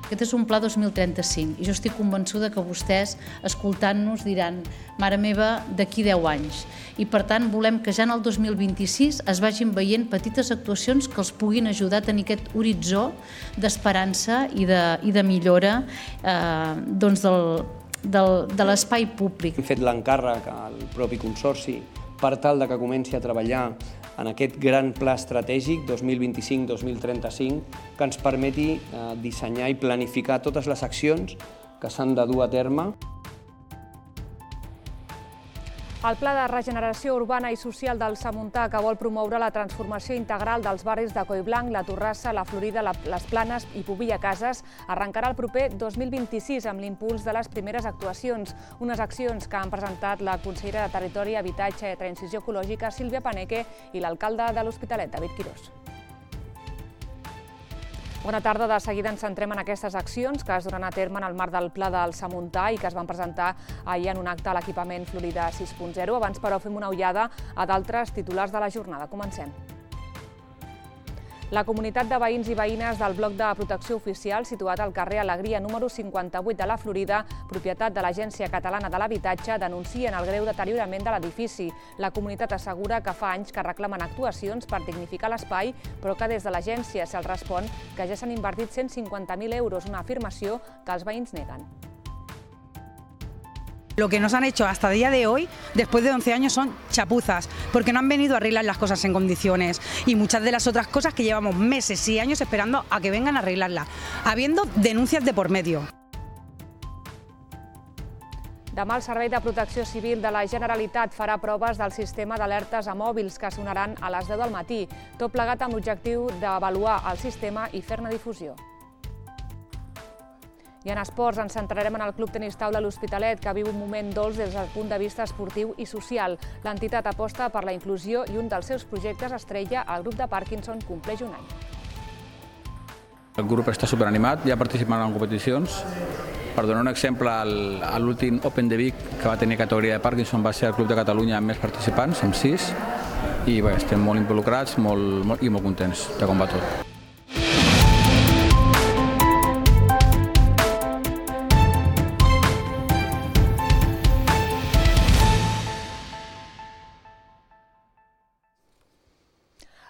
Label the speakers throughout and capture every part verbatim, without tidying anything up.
Speaker 1: Aquest és un pla dos mil trenta-cinc i jo estic convençuda que vostès, escoltant-nos, diran «Mare meva, d'aquí deu anys». I per tant volem que ja en el dos mil vint-i-sis es vagin veient petites actuacions que els puguin ajudar a tenir aquest horitzó d'esperança i de, i de millora eh, doncs del, del, de l'espai públic.
Speaker 2: Hem fet l'encàrrec al propi Consorci per tal de que comenci a treballar en aquest gran pla estratègic dos mil vint-i-cinc dos mil trenta-cinc que ens permeti dissenyar i planificar totes les accions que s'han de dur a terme.
Speaker 3: El Pla de Regeneració Urbana i Social del Samuntà, que vol promoure la transformació integral dels barris de Collblanc, la Torrassa, la Florida, les Planes i Pobilla Cases, arrencarà el proper dos mil vint-i-sis amb l'impuls de les primeres actuacions, unes accions que han presentat la consellera de Territori, Habitatge i Transició Ecològica, Sílvia Paneque, i l'alcalde de l'Hospitalet, David Quirós. Bona tarda. De seguida ens centrem en aquestes accions que es duran a terme en el marc del Pla del Samuntà i que es van presentar ahir en un acte a l'equipament Florida sis punt zero. Abans, però, fem una ullada a d'altres titulars de la jornada. Comencem. La comunitat de veïns i veïnes del bloc de protecció oficial situat al carrer Alegria número cinquanta-vuit de la Florida, propietat de l'Agència Catalana de l'Habitatge, denuncien el greu deteriorament de l'edifici. La comunitat assegura que fa anys que reclamen actuacions per dignificar l'espai, però que des de l'agència se'ls respon que ja s'han invertit cent cinquanta mil euros, una afirmació que els veïns neguen.
Speaker 4: Lo que nos han hecho hasta el día de hoy, después de once años, son chapuzas, porque no han venido a arreglar las cosas en condiciones y muchas de las otras cosas que llevamos meses y años esperando a que vengan a arreglarlas, habiendo denuncias de por medio.
Speaker 3: Demà el Servei de Protecció Civil de la Generalitat farà proves del sistema d'alertes a mòbils que sonaran a les deu del matí, tot plegat amb l'objectiu d'avaluar el sistema i fer-ne difusió. I en esports ens centrarem en el Club Tenis Taula L'Hospitalet, que viu un moment dolç des del punt de vista esportiu i social. L'entitat aposta per la inclusió i un dels seus projectes estrella, el grup de Parkinson, compleix un any.
Speaker 5: El grup està superanimat, ja participant en competicions. Per donar un exemple, a l'últim Open de Vic, que va tenir categoria de Parkinson, va ser el club de Catalunya amb més participants, amb sis, i bé, estem molt involucrats molt, molt, i molt contents de com va tot.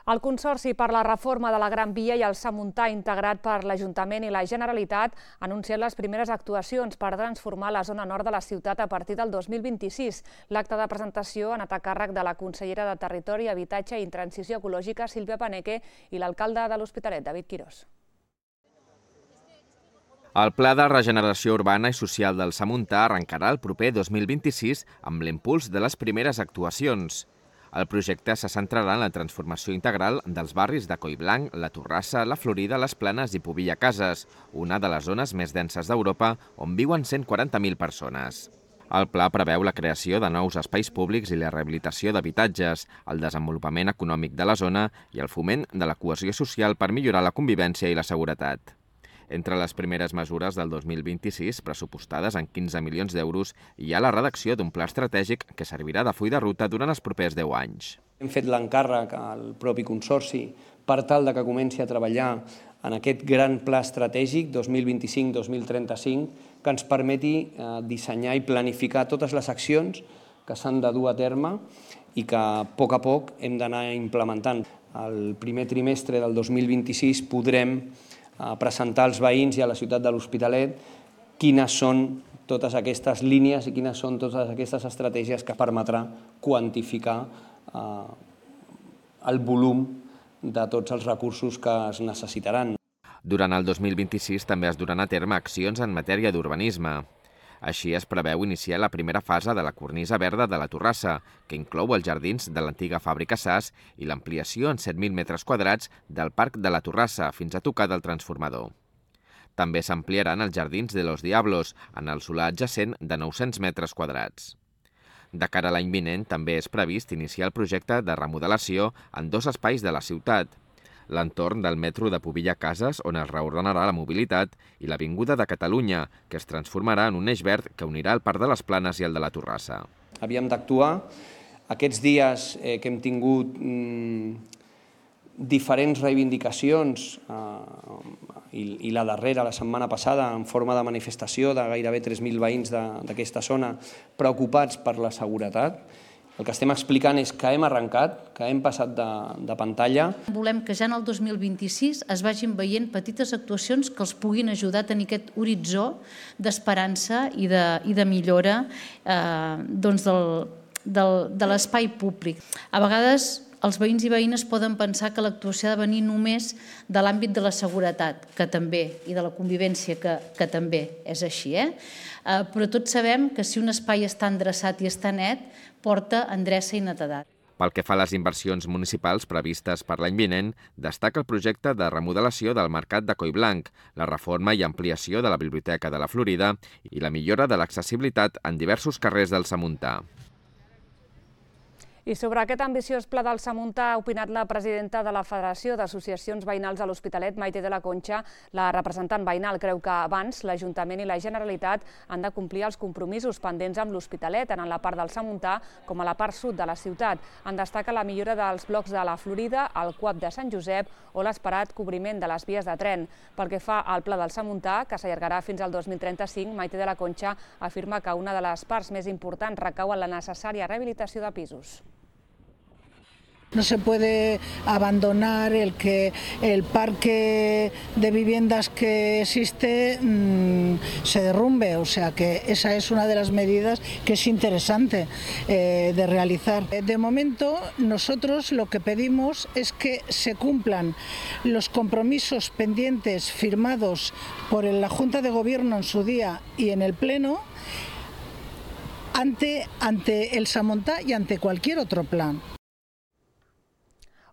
Speaker 3: El Consorci per la Reforma de la Gran Via i el Samuntà, integrat per l'Ajuntament i la Generalitat, ha anunciat les primeres actuacions per transformar la zona nord de la ciutat a partir del dos mil vint-i-sis. L'acte de presentació ha anat a càrrec de la consellera de Territori, Habitatge i Transició Ecològica, Sílvia Paneque, i l'alcalde de l'Hospitalet, David Quirós.
Speaker 6: El Pla de Regeneració Urbana i Social del Samuntà arrencarà el proper dos mil vint-i-sis amb l'impuls de les primeres actuacions. El projecte se centrarà en la transformació integral dels barris de Collblanc, la Torrassa, la Florida, les Planes i Pobilla Cases, una de les zones més denses d'Europa on viuen cent quaranta mil persones. El pla preveu la creació de nous espais públics i la rehabilitació d'habitatges, el desenvolupament econòmic de la zona i el foment de la cohesió social per millorar la convivència i la seguretat. Entre les primeres mesures del dos mil vint-i-sis, pressupostades en quinze milions d'euros, hi ha la redacció d'un pla estratègic que servirà de full de ruta durant els propers deu anys.
Speaker 2: Hem fet l'encàrrec al propi Consorci per tal de que comenci a treballar en aquest gran pla estratègic dos mil vint-i-cinc dos mil trenta-cinc que ens permeti dissenyar i planificar totes les accions que s'han de dur a terme i que a poc a poc hem d'anar implementant. El primer trimestre del dos mil vint-i-sis podrem a presentar als veïns i a la ciutat de l'Hospitalet quines són totes aquestes línies i quines són totes aquestes estratègies que permetrà quantificar el volum de tots els recursos que es necessitaran.
Speaker 6: Durant el dos mil vint-i-sis també es duran a terme accions en matèria d'urbanisme. Així es preveu iniciar la primera fase de la cornisa verda de la Torrassa, que inclou els jardins de l'antiga fàbrica S A S i l'ampliació en set mil metres quadrats del Parc de la Torrassa fins a tocar del transformador. També s'ampliaran els jardins de Los Diablos, en el solar adjacent de nou-cents metres quadrats. De cara a l'any vinent també és previst iniciar el projecte de remodelació en dos espais de la ciutat, l'entorn del metro de Pobilla Cases, on es reordenarà la mobilitat, i l'Avinguda de Catalunya, que es transformarà en un eix verd que unirà el Parc de les Planes i el de la Torrassa.
Speaker 2: Havíem d'actuar. Aquests dies eh, que hem tingut mm, diferents reivindicacions eh, i la darrera, la setmana passada, en forma de manifestació de gairebé tres mil veïns d'aquesta zona preocupats per la seguretat. El que estem explicant és que hem arrencat, que hem passat de, de pantalla.
Speaker 1: Volem que ja en el dos mil vint-i-sis es vagin veient petites actuacions que els puguin ajudar a tenir aquest horitzó d'esperança i, de, i de millora eh, doncs del, del, de l'espai públic. A vegades els veïns i veïnes poden pensar que l'actuació ha de venir només de l'àmbit de la seguretat, que també, i de la convivència, que, que també és així. Eh? Eh, però tots sabem que si un espai està endreçat i està net, porta endreça i netedat.
Speaker 6: Pel que fa a les inversions municipals previstes per l'any vinent, destaca el projecte de remodelació del Mercat de Collblanc, la reforma i ampliació de la Biblioteca de la Florida i la millora de l'accessibilitat en diversos carrers del Samuntà.
Speaker 3: I sobre aquest ambiciós pla del Samuntà ha opinat la presidenta de la Federació d'Associacions Veïnals de l'Hospitalet, Maite de la Concha. La representant veïnal creu que abans l'Ajuntament i la Generalitat han de complir els compromisos pendents amb l'Hospitalet, tant en la part del Samuntà com a la part sud de la ciutat. En destaca la millora dels blocs de la Florida, el C U A P de Sant Josep o l'esperat cobriment de les vies de tren. Pel que fa al pla del Samuntà, que s'allargarà fins al dos mil trenta-cinc, Maite de la Concha afirma que una de les parts més importants recau en la necessària rehabilitació de pisos.
Speaker 7: No se puede abandonar el que el parque de viviendas que existe mmm, se derrumbe, o sea que esa es una de las medidas que es interesante eh, de realizar. De momento nosotros lo que pedimos es que se cumplan los compromisos pendientes firmados por la Junta de Gobierno en su día y en el Pleno ante, ante el Samuntà y ante cualquier otro plan.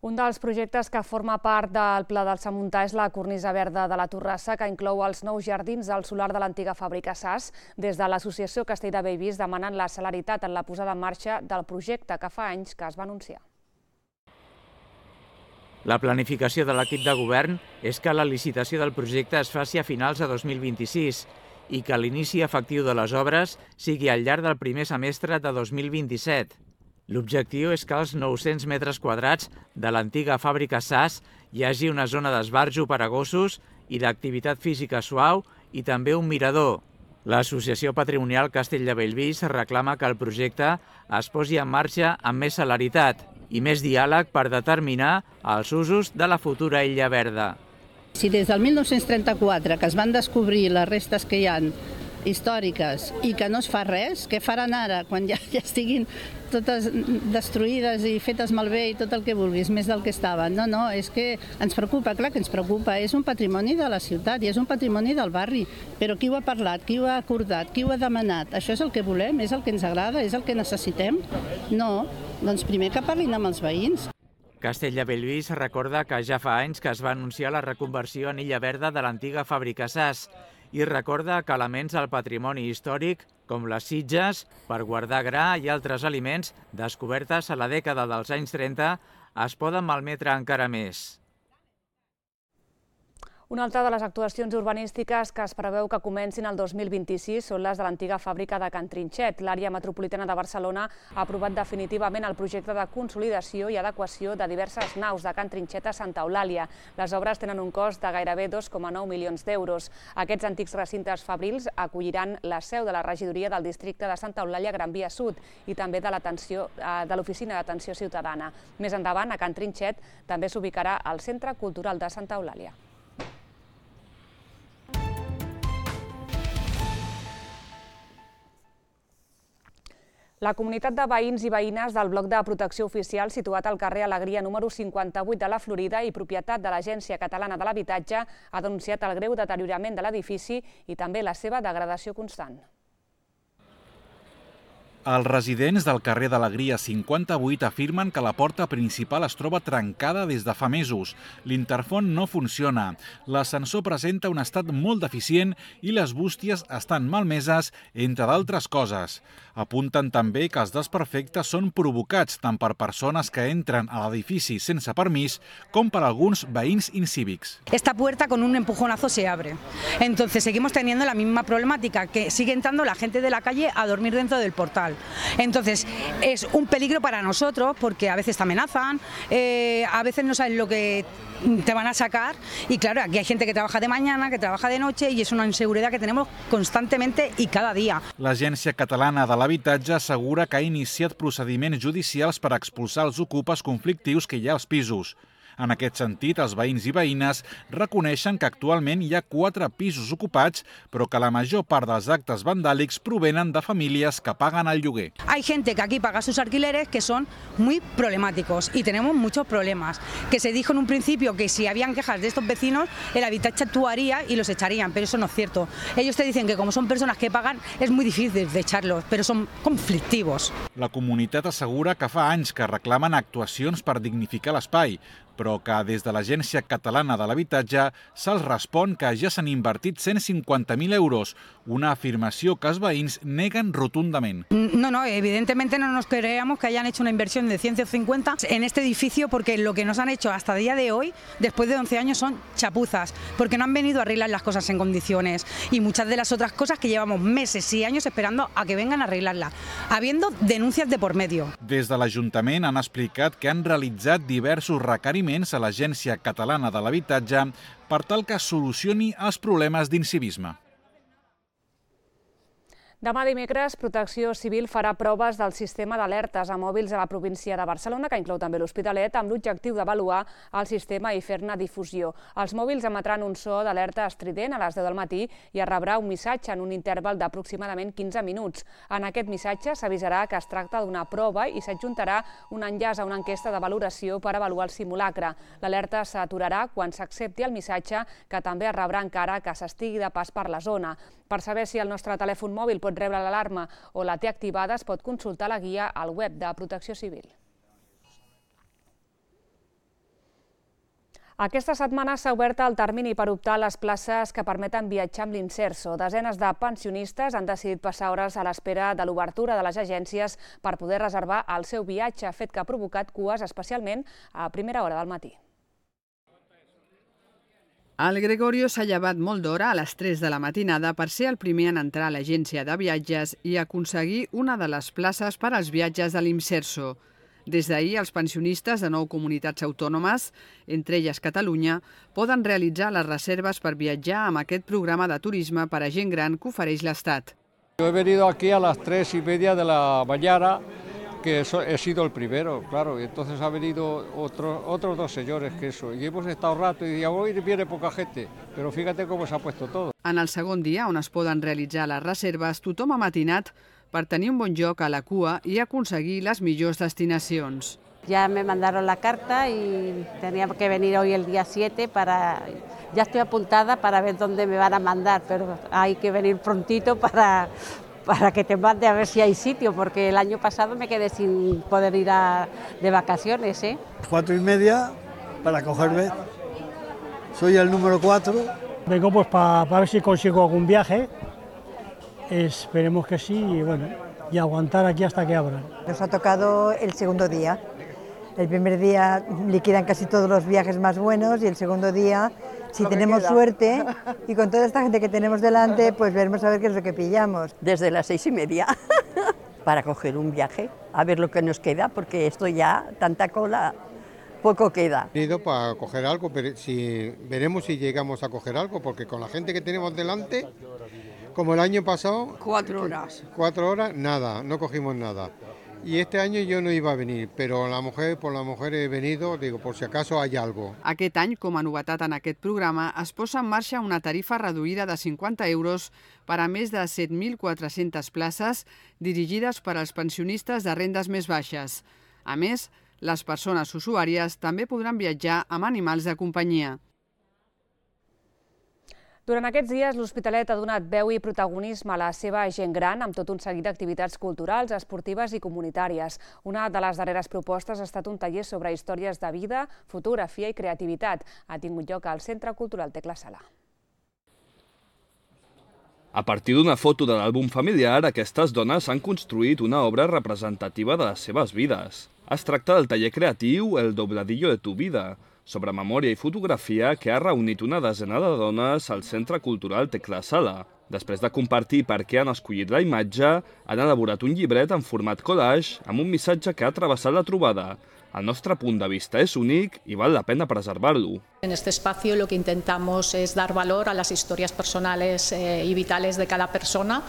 Speaker 3: Un dels projectes que forma part del Pla del Samuntà és la cornisa verda de la Torrassa, que inclou els nous jardins del solar de l'antiga fàbrica S A S. Des de l'associació Castell de Bellvís demanen la celeritat en la posada en marxa del projecte que fa anys que es va anunciar.
Speaker 8: La planificació de l'equip de govern és que la licitació del projecte es faci a finals de dos mil vint-i-sis i que l'inici efectiu de les obres sigui al llarg del primer semestre de dos mil vint-i-set. L'objectiu és que als nou-cents metres quadrats de l'antiga fàbrica S A S hi hagi una zona d'esbarjo per a gossos i d'activitat física suau i també un mirador. L'Associació Patrimonial Castell de Bellvís reclama que el projecte es posi en marxa amb més celeritat i més diàleg per determinar els usos de la futura Illa Verda.
Speaker 9: Si des del mil nou-cents trenta-quatre, que es van descobrir les restes que hi ha històriques i que no es fa res, què faran ara quan ja, ja estiguin totes destruïdes i fetes malbé i tot el que vulguis, més del que estaven? No, no, és que ens preocupa, clar que ens preocupa, és un patrimoni de la ciutat i és un patrimoni del barri, però qui ho ha parlat, qui ho ha acordat, qui ho ha demanat? Això és el que volem, és el que ens agrada, és el que necessitem? No, doncs primer que parlin amb els veïns.
Speaker 8: Castell de Bellvís recorda que ja fa anys que es va anunciar la reconversió en Illa Verda de l'antiga fàbrica S A S i recorda que elements del patrimoni històric, com les sitges, per guardar gra i altres aliments descobertes a la dècada dels anys trenta, es poden malmetre encara més.
Speaker 3: Una altra de les actuacions urbanístiques que es preveu que comencin el dos mil vint-i-sis són les de l'antiga fàbrica de Can Trinxet. L'àrea metropolitana de Barcelona ha aprovat definitivament el projecte de consolidació i adequació de diverses naus de Can Trinxet a Santa Eulàlia. Les obres tenen un cost de gairebé dos coma nou milions d'euros. Aquests antics recintes fabrils acolliran la seu de la regidoria del districte de Santa Eulàlia Gran Via Sud i també de l'Oficina d'Atenció Ciutadana. Més endavant, a Can Trinxet també s'ubicarà el Centre Cultural de Santa Eulàlia. La comunitat de veïns i veïnes del bloc de protecció oficial situat al carrer Alegria número cinquanta-vuit de la Florida i propietat de l'Agència Catalana de l'Habitatge ha denunciat el greu deteriorament de l'edifici i també la seva degradació constant.
Speaker 10: Els residents del carrer d'Alegria cinquanta-vuit afirmen que la porta principal es troba trencada des de fa mesos. L'interfon no funciona, l'ascensor presenta un estat molt deficient i les bústies estan malmeses, entre d'altres coses. Apunten també que els desperfectes són provocats tant per persones que entren a l'edifici sense permís com per alguns veïns incívics.
Speaker 4: Esta puerta con un empujonazo se abre. Entonces seguimos teniendo la misma problemática, que sigue entrando la gente de la calle a dormir dentro del portal. sexual. Entonces, es un peligro para nosotros porque a veces te amenazan, eh, a veces no sabes lo que te van a sacar y claro, aquí hay gente que trabaja de mañana, que trabaja de noche i és una inseguretat que tenim constantement i cada dia.
Speaker 10: L'Agència Catalana de l'Habitatge assegura que ha iniciat procediments judicials per expulsar els ocupes conflictius que hi ha als pisos. En aquest sentit, els veïns i veïnes reconeixen que actualment hi ha quatre pisos ocupats, però que la major part dels actes vandàlics provenen de famílies que paguen el lloguer.
Speaker 4: Hay gente que aquí paga sus alquileres que son muy problemáticos y tenemos muchos problemas. Que se dijo en un principio que si habían quejas de estos vecinos, el Habitatge actuaría y los echarían, pero eso no es cierto. Ellos te dicen que como son personas que pagan, es muy difícil de echarlos, pero son conflictivos.
Speaker 10: La comunitat assegura que fa anys que reclamen actuacions per dignificar l'espai, però que des de l'Agència Catalana de l'Habitatge se'ls respon que ja s'han invertit cent cincuenta mil euros, una afirmació que els veïns neguen rotundament.
Speaker 4: No, no, evidentemente no nos creemos que hayan hecho una inversión de ciento cincuenta en este edificio porque lo que nos han hecho hasta el día de hoy, después de once años, son chapuzas, porque no han venido a arreglar las cosas en condiciones y muchas de las otras cosas que llevamos meses y años esperando a que vengan a arreglarlas, habiendo denuncias de por medio.
Speaker 10: Des de l'Ajuntament han explicat que han realitzat diversos requeriments a l'Agència Catalana de l'Habitatge per tal que solucioni els problemes d'incivisme.
Speaker 3: Demà dimecres, Protecció Civil farà proves del sistema d'alertes a mòbils a la província de Barcelona, que inclou també l'Hospitalet, amb l'objectiu d'avaluar el sistema i fer-ne difusió. Els mòbils emetran un so d'alerta estrident a les deu del matí i es rebrà un missatge en un interval d'aproximadament quinze minuts. En aquest missatge s'avisarà que es tracta d'una prova i s'adjuntarà un enllaç a una enquesta de valoració per avaluar el simulacre. L'alerta s'aturarà quan s'accepti el missatge, que també es rebrà encara que s'estigui de pas per la zona. Per saber si el nostre telèfon mòbil pot rebre l'alarma o la té activada, es pot consultar la guia al web de Protecció Civil. Aquesta setmana s'ha obert el termini per optar a les places que permeten viatjar amb l'Inserso. Desenes de pensionistes han decidit passar hores a l'espera de l'obertura de les agències per poder reservar el seu viatge, fet que ha provocat cues especialment a primera hora del matí.
Speaker 11: El Gregorio s'ha llevat molt d'hora a les tres de la matinada per ser el primer en entrar a l'agència de viatges i aconseguir una de les places per als viatges de l'Inserso. Des d'ahir, els pensionistes de nou comunitats autònomes, entre elles Catalunya, poden realitzar les reserves per viatjar amb aquest programa de turisme per a gent gran que ofereix l'Estat.
Speaker 12: Yo he venido aquí a las tres y media de la mañana, que he sido el primero, claro, y entonces ha venido otro, otros dos señores que eso, y hemos estado rato y hoy viene poca gente, pero fíjate cómo se ha puesto todo.
Speaker 11: En el segon dia, on es poden realitzar les reserves, tothom ha matinat per tenir un bon lloc a la cua i aconseguir les millors destinacions.
Speaker 13: Ya me mandaron la carta y tenía que venir hoy el día siete para... Ya estoy apuntada para ver dónde me van a mandar, pero hay que venir prontito para... para que te mande a ver si hay sitio, porque el año pasado me quedé sin poder ir a, de vacaciones. ¿eh?
Speaker 14: Cuatro y media para cogerme. Soy el número cuatro.
Speaker 15: Vengo pues para pa ver si consigo algún viaje. Esperemos que sí y bueno, y aguantar aquí hasta que abran.
Speaker 16: Nos ha tocado el segundo día. El primer día liquidan casi todos los viajes más buenos y el segundo día, si tenemos suerte y con toda esta gente que tenemos delante, pues veremos a ver qué es lo que pillamos.
Speaker 17: Desde las seis y media para coger un viaje, a ver lo que nos queda, porque esto ya, tanta cola, poco queda.
Speaker 18: He ido para coger algo, pero si, veremos si llegamos a coger algo, porque con la gente que tenemos delante, como el año pasado...
Speaker 17: Cuatro horas.
Speaker 18: Cuatro horas, nada, no cogimos nada. Y este año yo no iba a venir, però la mujer, por la mujer he venido, digo, por si acaso hay algo.
Speaker 11: Aquest any, com a novetat en aquest programa, es posa en marxa una tarifa reduïda de cinquanta euros per a més de set mil quatre-centes places dirigides per als pensionistes de rendes més baixes. A més, les persones usuàries també podran viatjar amb animals de companyia.
Speaker 3: Durant aquests dies, l'Hospitalet ha donat veu i protagonisme a la seva gent gran amb tot un seguit d'activitats culturals, esportives i comunitàries. Una de les darreres propostes ha estat un taller sobre històries de vida, fotografia i creativitat. Ha tingut lloc al Centre Cultural Tecla Sala.
Speaker 19: A partir d'una foto de l'àlbum familiar, aquestes dones han construït una obra representativa de les seves vides. Es tracta del taller creatiu El dobladillo de tu vida, sobre memòria i fotografia que ha reunit una desena de dones al Centre Cultural Tecla Sala. Després de compartir per què han escollit la imatge, han elaborat un llibret en format collage amb un missatge que ha travessat la trobada. El nostre punt de vista és únic i val la pena preservar-lo.
Speaker 20: En este espacio lo que intentamos es dar valor a las historias personales eh, y vitales de cada persona,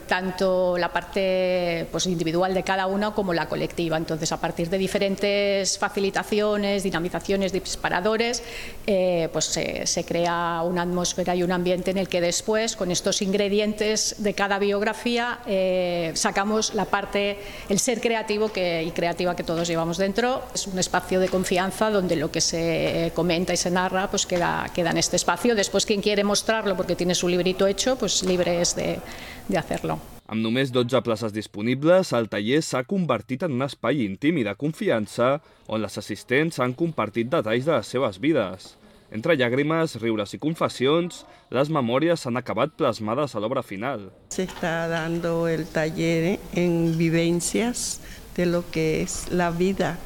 Speaker 20: tanto la parte pues, individual de cada una como la colectiva. Entonces, a partir de diferentes facilitaciones, dinamizaciones, disparadores, eh, pues se, se crea una atmósfera y un ambiente en el que después, con estos ingredientes de cada biografía, eh, sacamos la parte, el ser creativo que, y creativa que todos llevamos dentro. Es un espacio de confianza donde lo que se comenta y se narra pues queda, queda en este espacio. Después, quien quiere mostrarlo porque tiene su librito hecho, pues libre es de, de hacerlo.
Speaker 19: Amb només dotze places disponibles, el taller s'ha convertit en un espai íntim i de confiança on les assistents han compartit detalls de les seves vides. Entre llàgrimes, riures i confessions, les memòries s'han acabat plasmades a l'obra final.
Speaker 21: Se está dando el taller en vivencias de lo que es la vida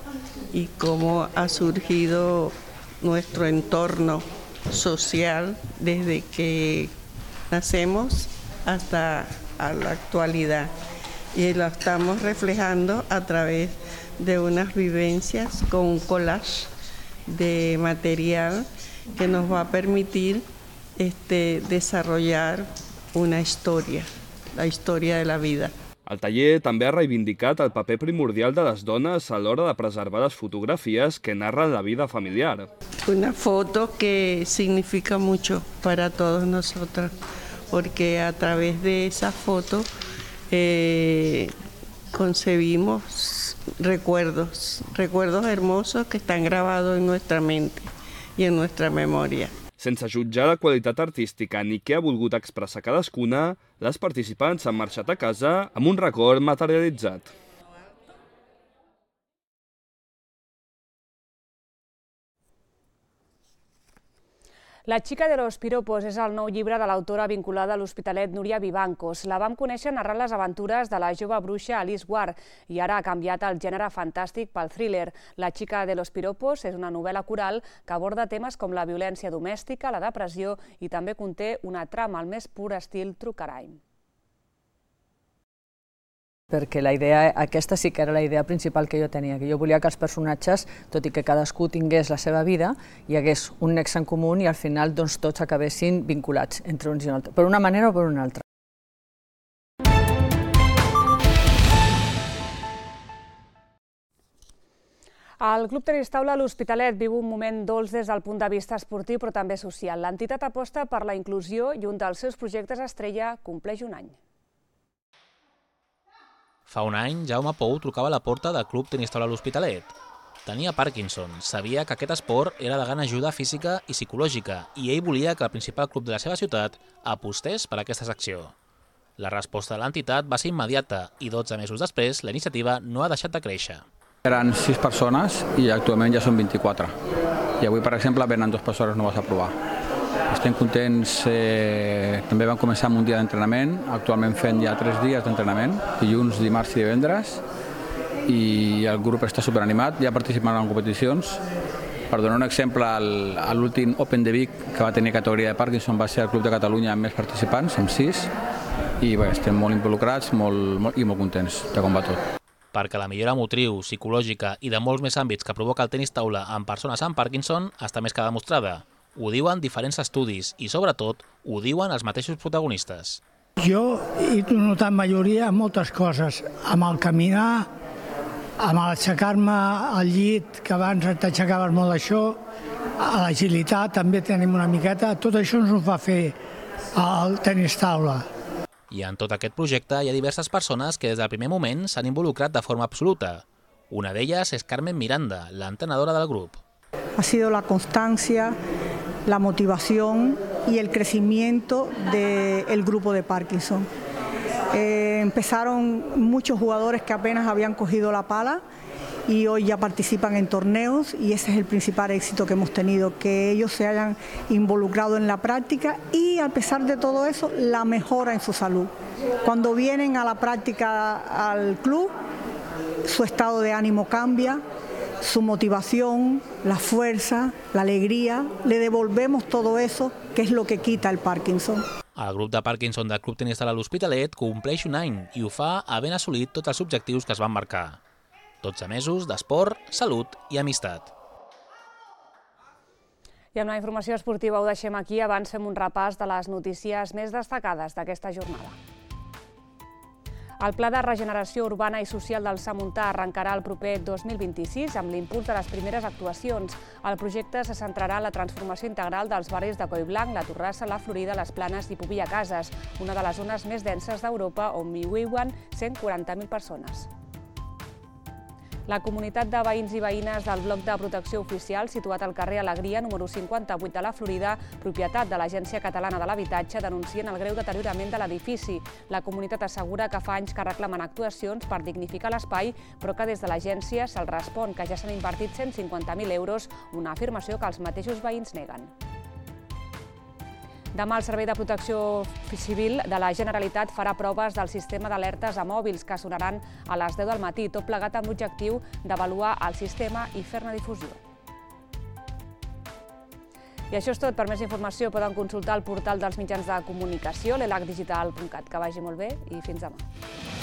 Speaker 21: y cómo ha surgido nuestro entorno social desde que nacemos hasta a la actualidad, y lo estamos reflejando a través de unas vivencias con un collage de material que nos va a permitir este, desarrollar una historia, la historia de la vida.
Speaker 19: El taller també ha reivindicat el paper primordial de les dones a l'hora de preservar les fotografies que narren la vida familiar.
Speaker 21: Una foto que significa mucho para todos nosotros, porque a través de esa foto eh, concebimos recuerdos, recuerdos hermosos que están grabados en nuestra mente y en nuestra memoria.
Speaker 19: Sense jutjar la qualitat artística ni què ha volgut expressar cadascuna, les participants han marxat a casa amb un record materialitzat.
Speaker 3: La xica de los piropos és el nou llibre de l'autora vinculada a l'Hospitalet Núria Vivancos. La vam conèixer narrant les aventures de la jove bruixa Alice Ward i ara ha canviat el gènere fantàstic pel thriller. La xica de los piropos és una novel·la coral que aborda temes com la violència domèstica, la depressió i també conté una trama al més pur estil true crime.
Speaker 22: Perquè la idea, aquesta sí que era la idea principal que jo tenia, que jo volia que els personatges, tot i que cadascú tingués la seva vida, hi hagués un nexe en comú i al final doncs, tots acabessin vinculats entre uns i un altre, per una manera o per una altra.
Speaker 3: El Club Tenis Taula a l'Hospitalet viu un moment dolç des del punt de vista esportiu però també social. L'entitat aposta per la inclusió i un dels seus projectes estrella compleix un any.
Speaker 23: Fa un any, Jaume Pou trucava a la porta del Club Tenis Taula a l'Hospitalet. Tenia Parkinson, sabia que aquest esport era de gran ajuda física i psicològica i ell volia que el principal club de la seva ciutat apostés per aquesta secció. La resposta de l'entitat va ser immediata i dotze mesos després la iniciativa no ha deixat de créixer.
Speaker 5: Eren sis persones i actualment ja són vint-i-quatre. I avui, per exemple, venen dues persones noves a provar. Estem contents, eh, també vam començar amb un dia d'entrenament, actualment fent ja tres dies d'entrenament, dilluns, dimarts i divendres, i el grup està superanimat, ja participant en competicions. Per donar un exemple, a l'últim Open de Vic, que va tenir categoria de Parkinson, va ser el Club de Catalunya amb més participants, amb sis, i bé, estem molt involucrats molt, molt, i molt contents de com va tot.
Speaker 23: Perquè la millora motriu, psicològica i de molts més àmbits que provoca el tenis taula en persones amb Parkinson està més que demostrada. Ho diuen diferents estudis i, sobretot, ho diuen els mateixos protagonistes.
Speaker 15: Jo he notat majoria moltes coses, amb el caminar, amb l'aixecar-me al llit, que abans t'aixecaves molt d'això, a l'agilitat també tenim una miqueta, tot això ens ho fa fer el tenis taula.
Speaker 23: I en tot aquest projecte hi ha diverses persones que des del primer moment s'han involucrat de forma absoluta. Una d'elles és Carmen Miranda, l'entrenadora del grup.
Speaker 24: Ha sido la constancia, la motivación y el crecimiento del grupo de Parkinson. Eh, empezaron muchos jugadores que apenas habían cogido la pala y hoy ya participan en torneos y ese es el principal éxito que hemos tenido, que ellos se hayan involucrado en la práctica y a pesar de todo eso, la mejora en su salud. Cuando vienen a la práctica al club, su estado de ánimo cambia, su motivación, la fuerza, la alegría, le devolvemos todo eso que es lo que quita el Parkinson.
Speaker 23: El grup de Parkinson del Club Tenis Sala l'Hospitalet compleix un any i ho fa havent assolit tots els objectius que es van marcar. dotze mesos d'esport, salut i amistat.
Speaker 3: I amb la informació esportiva ho deixem aquí. Abans fem un repàs de les notícies més destacades d'aquesta jornada. El Pla de Regeneració Urbana i Social del Samuntà arrencarà el proper dos mil vint-i-sis amb l'impuls de les primeres actuacions. El projecte se centrarà en la transformació integral dels barris de Collblanc, la Torrassa, la Florida, les Planes i Pobilla Cases, una de les zones més denses d'Europa on hi viuen cent quaranta mil persones. La comunitat de veïns i veïnes del bloc de protecció oficial situat al carrer Alegria, número cinquanta-vuit de la Florida, propietat de l'Agència Catalana de l'Habitatge, denuncien el greu deteriorament de l'edifici. La comunitat assegura que fa anys que reclamen actuacions per dignificar l'espai, però que des de l'agència se'ls respon que ja s'han invertit cent cinquanta mil euros, una afirmació que els mateixos veïns neguen. Demà el Servei de Protecció Civil de la Generalitat farà proves del sistema d'alertes a mòbils que sonaran a les deu del matí, tot plegat amb l'objectiu d'avaluar el sistema i fer-ne difusió. I això és tot. Per més informació poden consultar el portal dels mitjans de comunicació, l'elac digital punt cat. Que vagi molt bé i fins demà.